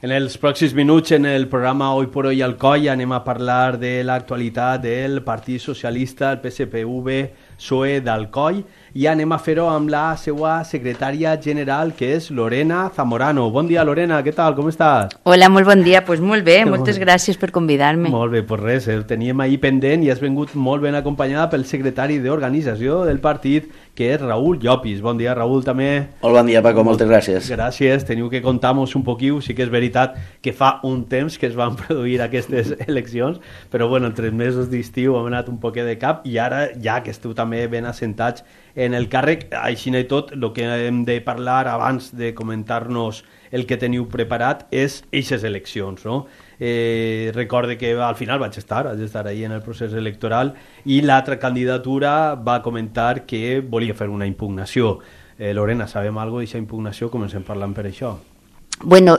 En els pròxims minuts, en el programa Hoy por Hoy Alcoi, anem a parlar de l'actualitat del Partit Socialista, el PSPV-PSOE d'Alcoi, i anem a fer-ho amb la seva secretària general, que és Lorena Zamorano. Bon dia, Lorena, què tal? Com estàs? Hola, molt bon dia. Pues molt bé, moltes gràcies per convidar-me. Molt bé, pues res, el teníem ahir pendent i has vingut molt ben acompanyada pel secretari d'organització del partit, que és Raül Llopis. Bon dia, Raül, també. Molt bon dia, Paco, moltes gràcies. Gràcies, teniu que contar-nos un poquiu. Sí que és veritat que fa un temps que es van produir aquestes eleccions, però bueno, en 3 mesos d'estiu hem anat un poquet de cap i ara, ja que esteu també ben assentats en el càrrec, així i tot, el que hem de parlar abans de comentar-nos el que teniu preparat és eixes eleccions, no? Recorde que al final vaig estar ahí en el procés electoral i l'altra candidatura va comentar que volia fer una impugnació. Lorena, sabem alguna cosa d'aquesta impugnació? Comencem parlant per això. Bueno,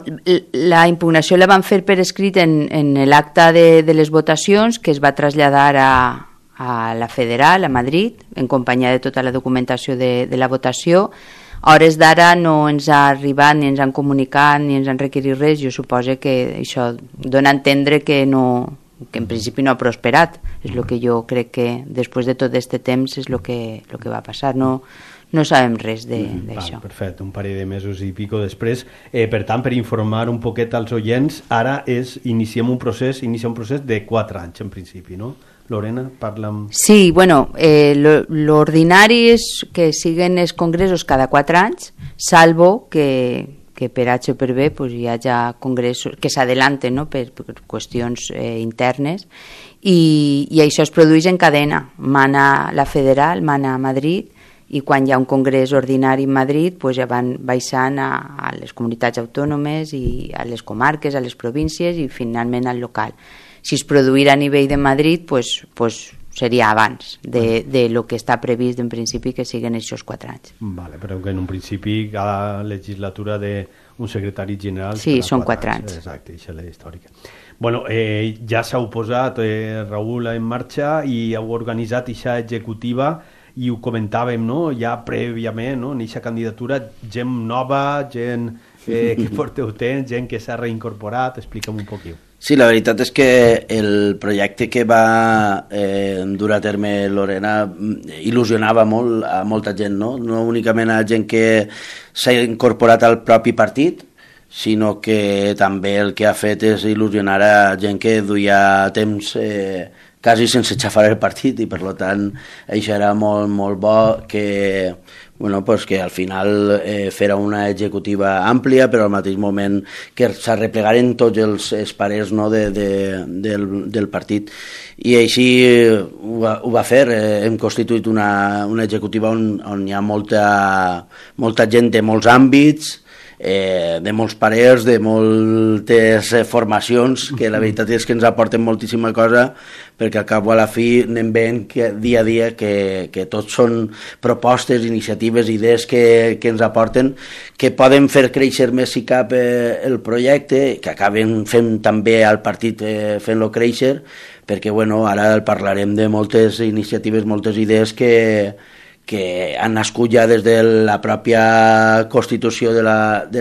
la impugnació la van fer per escrit en l'acte de les votacions, que es va traslladar a la Federal, a Madrid, en companyia de tota la documentació de la votació. A hores d'ara no ens ha arribat, ni ens han comunicat, ni ens han requerit res. Jo suposo que això dona a entendre que en principi no ha prosperat. És el que jo crec que després de tot aquest temps és el que va passar. No sabem res d'això. Perfecte, un parell de mesos i pico després. Per tant, per informar un poquet als oients, ara iniciem un procés de 4 anys en principi, no? Lorena, parla'm... Sí, bueno, l'ordinari és que siguen els congressos cada 4 anys, salvo que per H o per B pues, hi hagi congressos que s'adelanten, no? per qüestions internes, i això es produeix en cadena. Mana la Federal, mana a Madrid, i quan hi ha un congrés ordinari en Madrid pues ja van baixant a les comunitats autònomes i a les comarques, a les províncies i finalment al local. Si es produïra a nivell de Madrid pues seria abans de lo que està previst en principi que siguin aquests 4 anys. Vale, però que en un principi cada legislatura d'un secretari general... Sí, són 4 anys. Exacte, això és la històrica. Bueno, ja s'heu posat, Raül, en marxa i heu organitzat aquesta executiva i ho comentàvem, no? Ja prèviament, no? En aquesta candidatura, gent nova, gent que porteu temps, gent que s'ha reincorporat, explica'm un poquet. Sí, la veritat és que el projecte que va dur a terme Lorena il·lusionava molt a molta gent, no? No únicament a gent que s'ha incorporat al propi partit, sinó que també el que ha fet és il·lusionar a gent que duia temps quasi sense xafar el partit i per tant això era molt, molt bo que al final fera una executiva àmplia però al mateix moment que s'arreplegaren tots els parers, no, del partit i així ho va fer. Hem constituït una executiva on hi ha molta gent de molts àmbits, de molts parers, de moltes formacions, que la veritat és que ens aporten moltíssima cosa, perquè al cap o a la fi anem veient que dia a dia que tots són propostes, iniciatives, idees que ens aporten, que poden fer créixer més si cap el projecte, que acaben fent també al partit fent-lo créixer, perquè ara parlarem de moltes iniciatives, moltes idees que han nascut ja des de la pròpia constitució de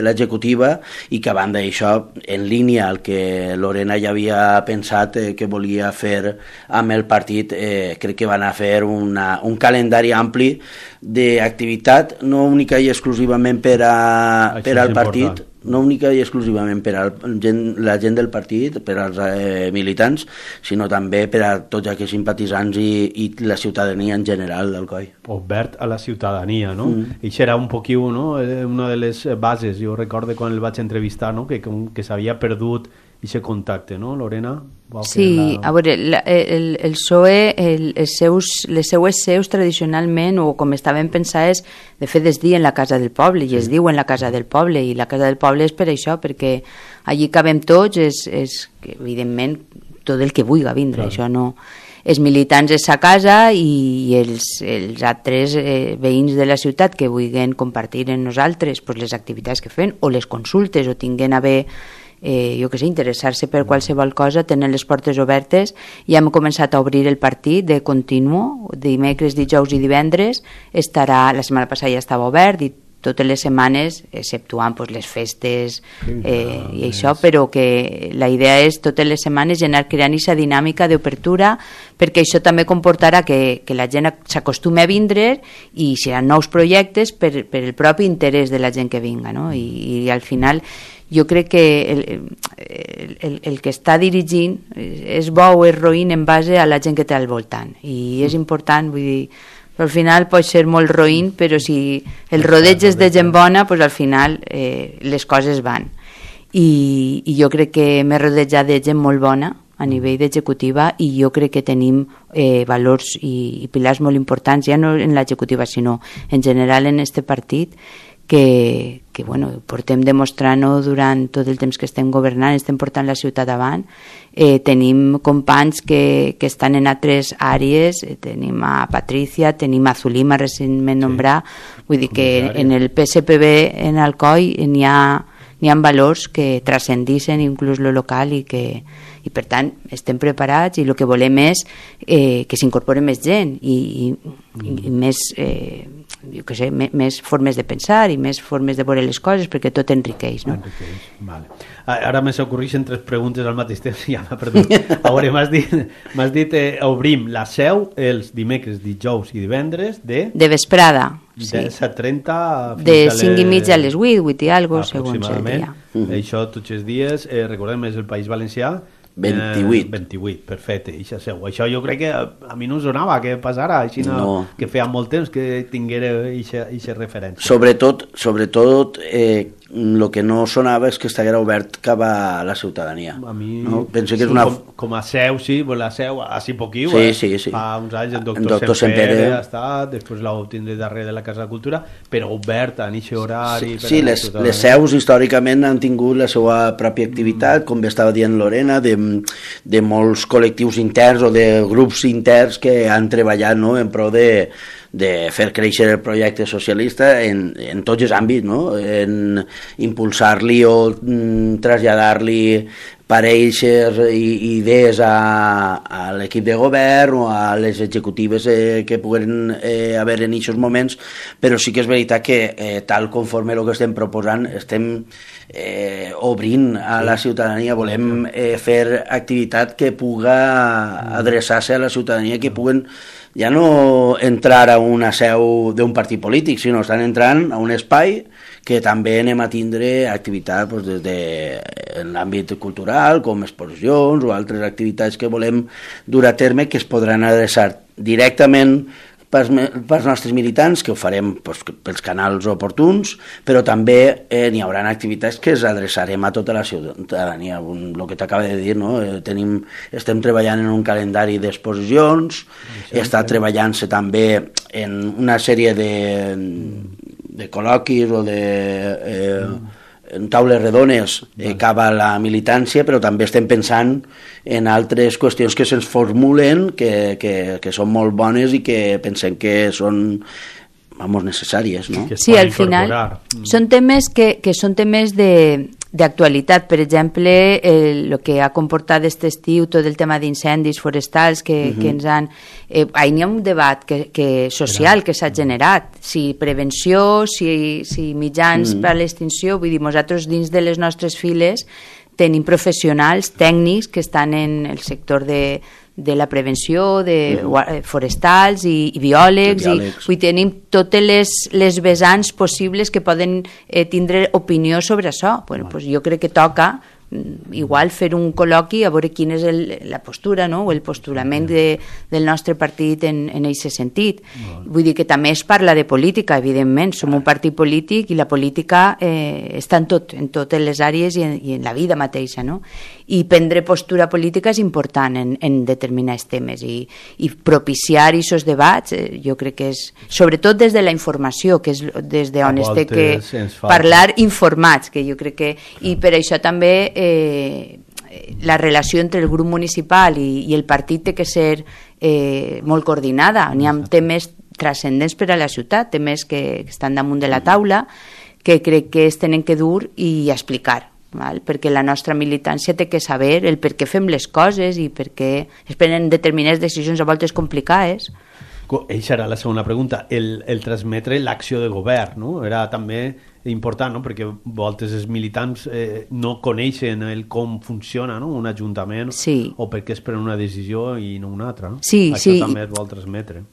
l'executiva i que a banda d'això, en línia al que Lorena ja havia pensat que volia fer amb el partit, crec que van a fer un calendari ampli d'activitat, no única i exclusivament per al partit, no única i exclusivament per a la gent del partit, per als militants, sinó també per a tots aquells simpatitzants i la ciutadania en general d'Alcoi. Obert a la ciutadania, no? Això era un poquiu, no? Una de les bases, jo recordo quan el vaig entrevistar, no? Que s'havia perdut aquest contacte, no, Lorena? Sí, a veure, el PSOE, les seues seus tradicionalment, o com estaven pensades, de fet es diuen la Casa del Poble, i es diuen la Casa del Poble, i la Casa del Poble és per això, perquè allí cabem tots, és evidentment tot el que vulgui vindre, això no... Els militants és sa casa i els altres veïns de la ciutat que vulguin compartir amb nosaltres les activitats que fem o les consultes o tinguin a bé interessar-se per qualsevol cosa, tenen les portes obertes i hem començat a obrir el partit de continu, dimecres, dijous i divendres la setmana passada ja estava obert i totes les setmanes, exceptuant pues, les festes i això, però que la idea és totes les setmanes anar creant aquesta dinàmica d'obertura, perquè això també comportarà que la gent s'acostumi a vindre i seran nous projectes per el propi interès de la gent que vinga, no? I al final jo crec que el que està dirigint és bo o és roïn en base a la gent que té al voltant, i és important, vull dir, al final pot ser molt roïn, però si el rodeig és de gent bona, pues al final les coses van, i jo crec que m'he rodejat de gent molt bona a nivell d'executiva, i jo crec que tenim valors i pilars molt importants, ja no en l'executiva sinó en general en este partit, que bueno, portem demostrant-ho durant tot el temps que estem governant, estem portant la ciutat davant. Tenim companys que estan en altres àrees, tenim a Patricia, tenim a Zulima recentment nombrat, vull dir que en el PSPB en Alcoi n'hi ha valors que transcendixen inclús lo local, i per tant estem preparats, i el que volem és que s'incorpori més gent i més jo què sé, més formes de pensar i més formes de veure les coses, perquè tot enriqueix, no? Vale. Ara me s'ocorreixen 3 preguntes al mateix temps i ja m'ha perdut. A veure, m'has dit obrim la seu els dimecres, dijous i divendres de vesprada, sí. De 7:30 de 5:30 a les 8 i algo, segons el dia. Això tots els dies, recordem, és el País Valencià. 28, perfecte, això jo crec que a mi no em sonava que passara així, no. Que feia molt temps que tinguera aquesta referència. Sobretot el que no sonava és que estiguera obert cap a la ciutadania. A mi, no? Penso que és com a seu, sí, la seu, així poquiu, sí. Fa uns anys el doctor Sempere ha estat, després l'ho tindré darrere de la Casa de Cultura, però obert en aquest horari. Sí, les seus històricament han tingut la seva pròpia activitat, com bé estava dient Lorena, de molts col·lectius interns o de grups interns que han treballat, no?, en pro de fer créixer el projecte socialista en tots els àmbits, no?, en impulsar-li o traslladar-li pareixes i idees a l'equip de govern o a les executives que puguen haver en aquests moments, però sí que és veritat que tal conforme el que estem proposant estem obrint a la ciutadania, volem fer activitat que puga adreçar-se a la ciutadania, que puguen ja no entrar a una seu d'un partit polític, sinó estan entrant a un espai que també anem a tindre activitat des de l'àmbit cultural, com exposicions o altres activitats que volem dur a terme, que es podran adreçar directament pels nostres militants, que ho farem pels canals oportuns, però també n'hi haurà activitats que es adreçarem a tota la ciutadania. El que t'acaba de dir, no? Estem treballant en un calendari d'exposicions, està treballant-se també en una sèrie de col·loquis o en taules redones cap a la militància, però també estem pensant en altres qüestions que se'ns formulen que són molt bones i que pensem que són necessàries, no? Sí, al final són temes que són temes d'actualitat. Per exemple, el que ha comportat aquest estiu tot el tema d'incendis forestals que ens han... N'hi ha un debat social que s'ha generat, si prevenció, si mitjans per a l'extinció. Vull dir, nosaltres dins de les nostres files tenim professionals tècnics que estan en el sector de la prevenció, de forestals i biòlegs, i tenim totes les vessants possibles que poden tindre opinió sobre això. Bueno, pues jo crec que toca igual fer un col·loqui a veure quina és la postura, no?, o el postulament del nostre partit en aquest sentit. Vull dir que també es parla de política, evidentment, som un partit polític i la política està en totes les àrees i en la vida mateixa, no? I prendre postura política és important en determinats temes i propiciar aquests debats, jo crec que és, sobretot des de la informació, que és des d'on es té que parlar informats, que jo crec que, i per això també la relació entre el grup municipal i el partit té que ser molt coordinada. N'hi ha temes transcendents per a la ciutat, temes que estan damunt de la taula, que crec que es tenen que dur i explicar, perquè la nostra militància té que saber el per què fem les coses i per què es prenen determinades decisions a voltes complicades. Eixa era la segona pregunta, el transmetre l'acció de govern, no? Era també important, no? Perquè voltes els militants no coneixen com funciona, no? Un ajuntament, o perquè es pren una decisió i no una altra, no? Això també es vol transmetre.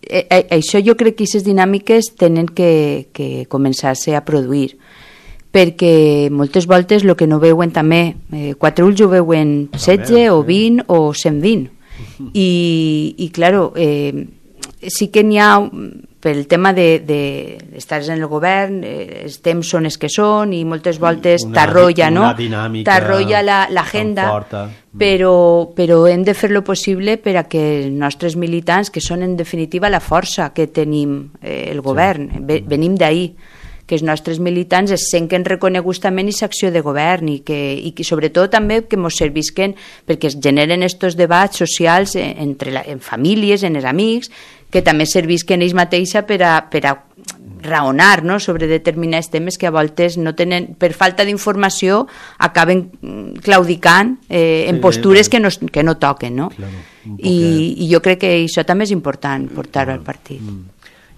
Això jo crec que aquestes dinàmiques tenen que començar-se a produir, perquè moltes voltes el que no veuen també, 4 ulls ho veuen 16 o 20 o 120, i claro, sí que n'hi ha, pel tema d'estar en el govern, els temps són els que són i moltes voltes t'arrolla, no? T'arrolla l'agenda, però hem de fer lo possible per a que els nostres militants, que són en definitiva la força que tenim el govern, venim d'ahir, que els nostres militants es senten reconeguts també en aquesta acció de govern i que sobretot també que ens servisquen perquè es generen estos debats socials en famílies, en els amics, que també servisquen ells mateixa per a raonar, no?, sobre determinats temes que a voltes no tenen, per falta d'informació acaben claudicant en postures que no toquen, no? I jo crec que això també és important portar-ho al partit.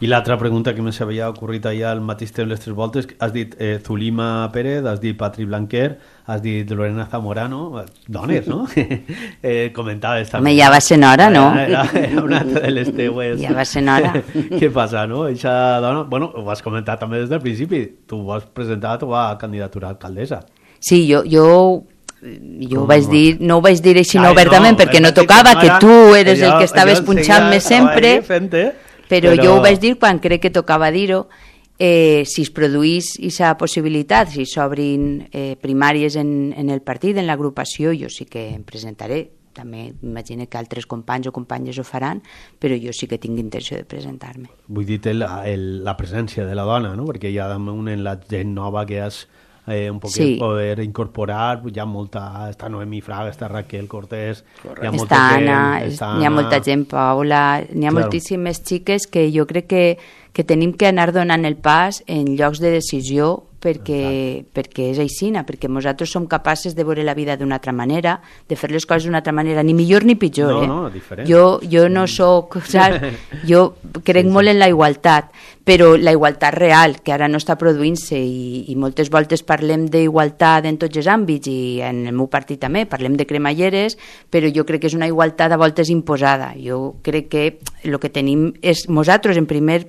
I l'altra pregunta que m'havia ocorrit allà al mateix temps les 3 voltes, has dit Zulima Pérez, has dit Patri Blanquer, has dit Lorena Zamorano, dones, no? Comentaves també. Home, ja va ser hora, no? Era una altra de les teues. Ja va ser hora. Què passa, no? Eixa dona, bueno, ho vas comentar també des del principi, tu vas presentar la teva candidatura a alcaldessa. Sí, jo ho vaig dir, no ho vaig dir així obertament perquè no tocava, que tu eres el que estaves punxant-me sempre, però jo ho vaig dir quan crec que tocava dir-ho. Si es produís aquesta possibilitat, si s'obrin primàries en el partit, en l'agrupació, jo sí que em presentaré. També m'imagino que altres companys o companyes ho faran, però jo sí que tinc intenció de presentar-me. Vull dir la presència de la dona, no? Perquè hi ha en la gent nova que has un poquet poder incorporar, hi ha molta, està Noemí Fraga, està Raquel Cortés, hi ha molta gent, n'hi ha molta gent, Paula, n'hi ha moltíssimes xiques que jo crec que tenim que anar donant el pas en llocs de decisió perquè és aixina, perquè nosaltres som capaces de veure la vida d'una altra manera, de fer les coses d'una altra manera, ni millor ni pitjor. No, diferent. Jo no soc, saps? Jo crec molt en la igualtat, però la igualtat real, que ara no està produint-se, i moltes voltes parlem d'igualtat en tots els àmbits, i en el meu partit també, parlem de cremalleres, però jo crec que és una igualtat a voltes imposada. Jo crec que el que tenim és nosaltres, el primer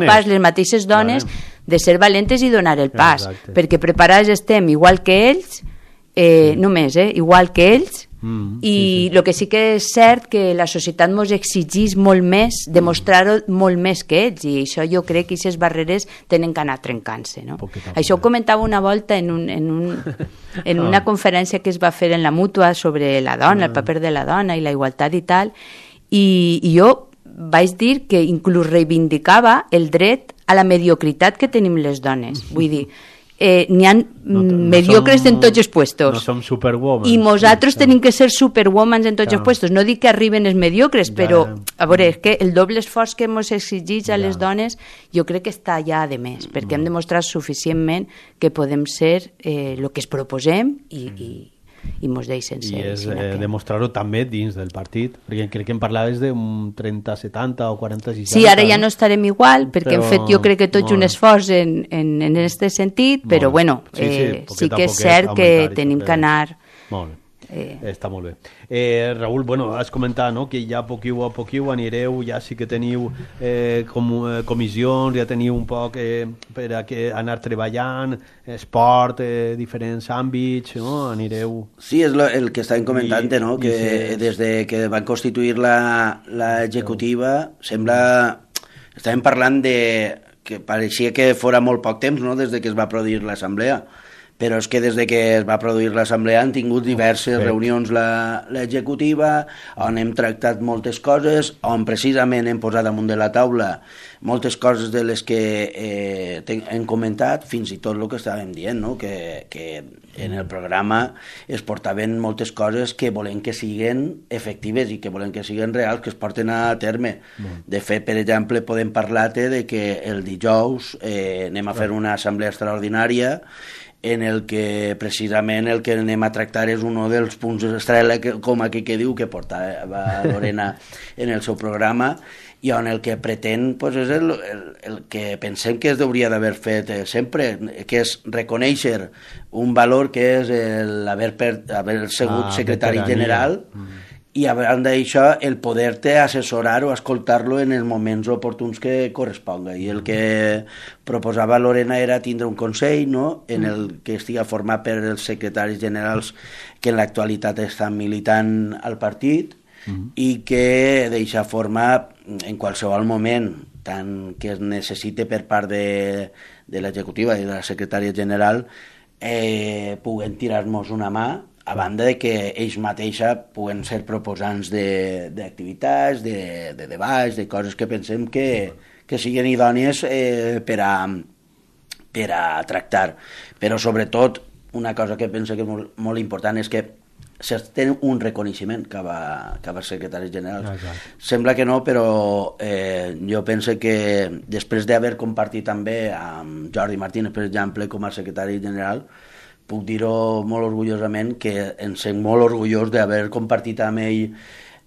pas, les mateixes dones, de ser valentes i donar el pas, perquè preparades estem igual que ells, només, igual que ells, i el que sí que és cert que la societat ens exigeix molt més, demostrar-ho molt més que ells, i això jo crec que aquestes barreres tenen que anar trencant-se, no? Això ho comentava una volta en una conferència que es va fer en la Mútua sobre la dona, el paper de la dona i la igualtat i tal, i jo vaig dir que inclús reivindicava el dret a la mediocritat que tenim les dones. Vull dir, n'hi ha mediocres en tots els puestos. No som superwoman. I nosaltres tenim que ser superwomans en tots els puestos. No dic que arriben els mediocres, però, a veure, és que el doble esforç que ens exigeix a les dones jo crec que està ja de més, perquè hem demostrat suficientment que podem ser el que es proposem i mos deixen ser. I és demostrar-ho també dins del partit, perquè crec que em parlaves d'un 30-70 o 40-60. Sí, ara ja no estarem igual, perquè hem fet jo crec que tots un esforç en aquest sentit, però bueno, sí que és cert que tenim que anar... Molt bé. Està molt bé. Raül, bueno, has comentat, no?, que ja poquiu a poquiu anireu, ja sí que teniu comissions, ja teniu un poc per a anar treballant, esport, diferents àmbits, no?, anireu... Sí, és el que estàvem comentant, no?, que des de que van constituir l'executiva sembla... Estàvem parlant de... que pareixia que fora molt poc temps, no?, des de que es va produir l'assemblea, però és que des de que es va produir l'assemblea han tingut diverses reunions l'executiva, on hem tractat moltes coses, on precisament hem posat damunt de la taula moltes coses de les que hem comentat, fins i tot el que estàvem dient, no? Que en el programa es portaven moltes coses que volem que siguin efectives i que volem que siguin reals, que es porten a terme. De fet, per exemple, podem parlar-te de que el dijous anem a fer una assemblea extraordinària en el que precisament el que anem a tractar és un dels punts estrella, com aquí que diu, que portava Lorena en el seu programa, i on el que pretén pues, és el que pensem que es hauria d'haver fet sempre, que és reconèixer un valor que és haver sigut secretari general, i a banda d'això el poder-te assessorar o escoltar-lo en els moments oportuns que corresponga, i el que proposava Lorena era tindre un consell, no?, en el que estigui format per els secretaris generals que en l'actualitat estan militant al partit, i que d'eixa forma en qualsevol moment tant que es necessite per part de l'executiva i de la secretària general puguen tirar-nos una mà, a banda de que ells mateixa puguen ser proposants d'activitats, de debats, de coses que pensem que siguin idònies per a tractar. Però sobretot una cosa que penso que és molt important és que té un reconeixement cap als secretaris generals. Sembla que no, però jo penso que després d'haver compartit també amb Jordi Martínez, per exemple, com a secretari general, puc dir-ho molt orgullosament, que em sent molt orgullós d'haver compartit amb ell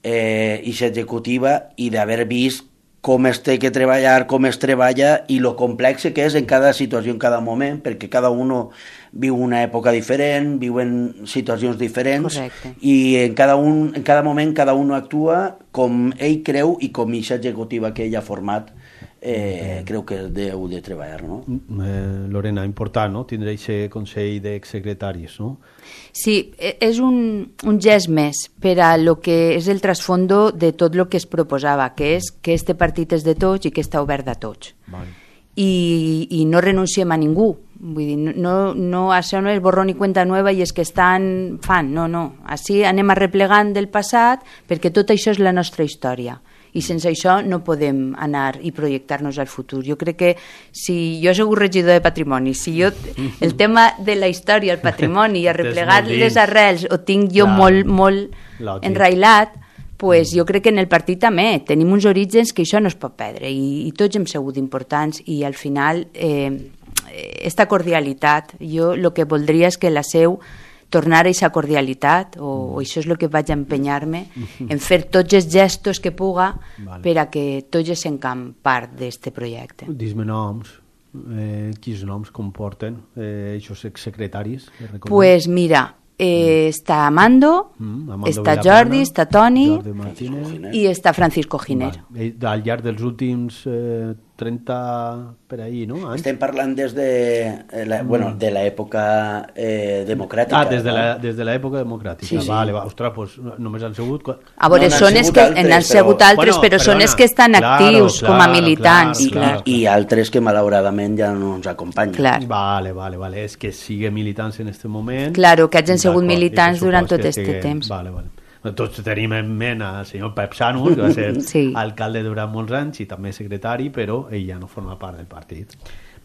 aquesta executiva i d'haver vist com es té que treballar, com es treballa i lo complex que és en cada situació, en cada moment, perquè cada un viu una època diferent, viuen situacions diferents. Correcte. I en cada moment cada un actua com ell creu i com aquesta executiva que ell ha format creu que deu de treballar, no? Lorena, important, no?, tindre aquest consell d'exsecretaris, no? Sí, és un gest més per a lo que és el trasfondo de tot el que es proposava, que és que este partit és de tots i que està obert a tots. Vale. I no renunciem a ningú. Vull dir, no, això no és borrón i cuenta nova i és que fan, no. Així anem arreplegant del passat perquè tot això és la nostra història. I sense això no podem anar i projectar-nos al futur. Jo crec que si jo soc regidor de patrimoni, si jo el tema de la història, el patrimoni i arreplegar les arrels ho tinc jo molt enrailat, pues jo crec que en el partit també tenim uns orígens que això no es pot perdre i tots hem sigut importants i al final esta cordialitat, jo el que voldria és que la seu tornar a aquesta cordialitat o això és el que vaig empenyar-me en fer tots els gestos que puga per a que tots es sencan part d'aquest projecte. Dis-me noms, quins noms comporten aquests secretaris? Pues mira, està Amando, està Jordi, està Toni i està Francisco Giner. Al llarg dels últims 30 per ahí, no? Estem parlant des de l'època democràtica. Des de l'època democràtica. Sí. Vale, ostres, doncs només han sigut... A veure, són els que han sigut altres, però són els que estan actius com a militants. I altres que malauradament ja no ens acompanyen. Vale. És que sigue militants en aquest moment. Claro, que hagin sigut militants durant tot aquest temps. Vale. Tots tenim en ment al senyor Pep Sanus, que va ser alcalde durant molts anys i també secretari, però ell ja no forma part del partit.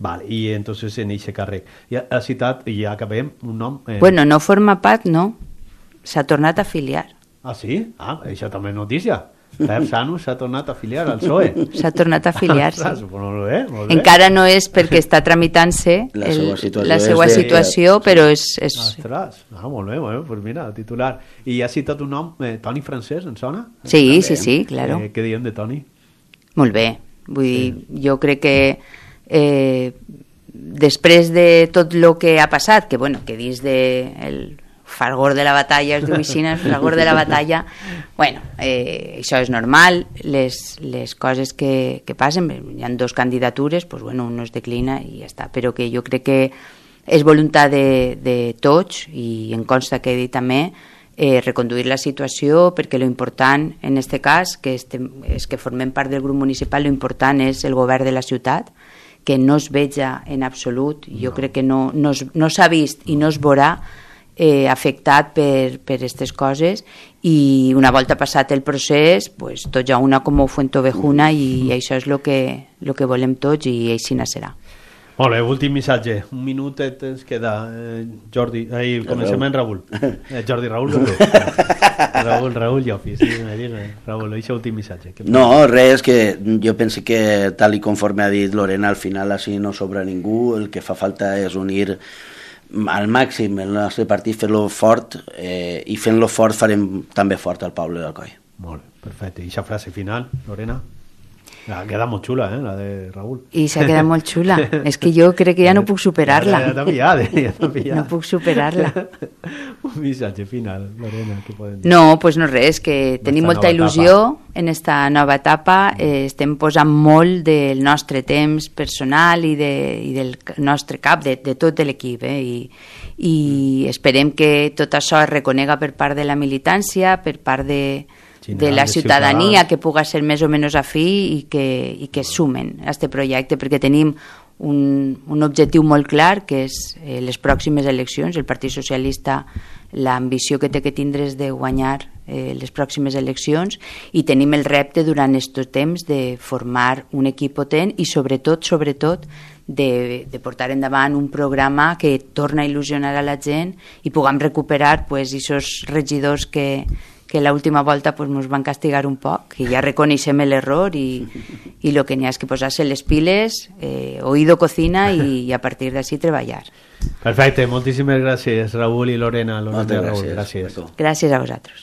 Vale, i entonces en aquest càrrec. Ja ha citat, i ja acabem, un nom... Bueno, no forma part, no. S'ha tornat a afiliar. Ah, sí? Ah, això també és notícia. Pep Sanus s'ha tornat a afiliar al PSOE. S'ha tornat a afiliar-se. Molt bé. Encara no és perquè està tramitant-se la seva situació, però és... Ostres, molt bé, doncs mira, titular. I ha citat un nom, Toni Francès, en sona? Sí, claro. Què diem de Toni? Molt bé, vull dir, jo crec que després de tot el que ha passat, que dins del fragor de la batalla, es diu així, el fragor de la batalla, això és normal, les coses que passen, hi ha dues candidatures, un es declina i ja està, però que jo crec que és voluntat de tots, i em consta que he dit també, reconduir la situació, perquè lo important en aquest cas és que formem part del grup municipal, lo important és el govern de la ciutat, que no es veja en absolut, jo crec que no s'ha vist i no es veurà afectat per aquestes coses, i una volta passat el procés tots a una com Fuentovejuna, i això és el que volem tots, i així serà. Molt bé, últim missatge, un minutet ens queda. Jordi, comencem amb Raül. Raül Llofi, sí, Raül, això últim missatge. No, res, que jo penso que tal i conforme ha dit Lorena, al final així no sobra ningú, el que fa falta és unir al màxim el nostre partit, fer-lo fort, i fent-lo fort farem també fort el poble d'Alcoi. Molt bé, perfecte. I aquesta frase final, Lorena? Queda molt xula, la de Raúl. I s'ha quedat molt xula. És que jo crec que ja no puc superar-la. Ja t'ha pillat. No puc superar-la. Un missatge final, Lorena, què podem dir? No, doncs no res, que tenim molta il·lusió en esta nova etapa, estem posant molt del nostre temps personal i del nostre cap, de tot l'equip, i esperem que tot això es reconega per part de la militància, per part de la ciutadania, que puga ser més o menys afí i que sumen a aquest projecte, perquè tenim un objectiu molt clar, que és les pròximes eleccions. El Partit Socialista, l'ambició que té que tindre és de guanyar les pròximes eleccions, i tenim el repte durant aquest temps de formar un equip potent i sobretot de portar endavant un programa que torna a il·lusionar a la gent i puguem recuperar aquests regidors que l'última volta ens van castigar un poc, i ja reconeixem l'error, i el que n'hi ha és que posar-se les piles, oído cocina, i a partir d'ací treballar. Perfecte, moltíssimes gràcies, Raúl i Lorena. Moltes gràcies. Gràcies a vosaltres.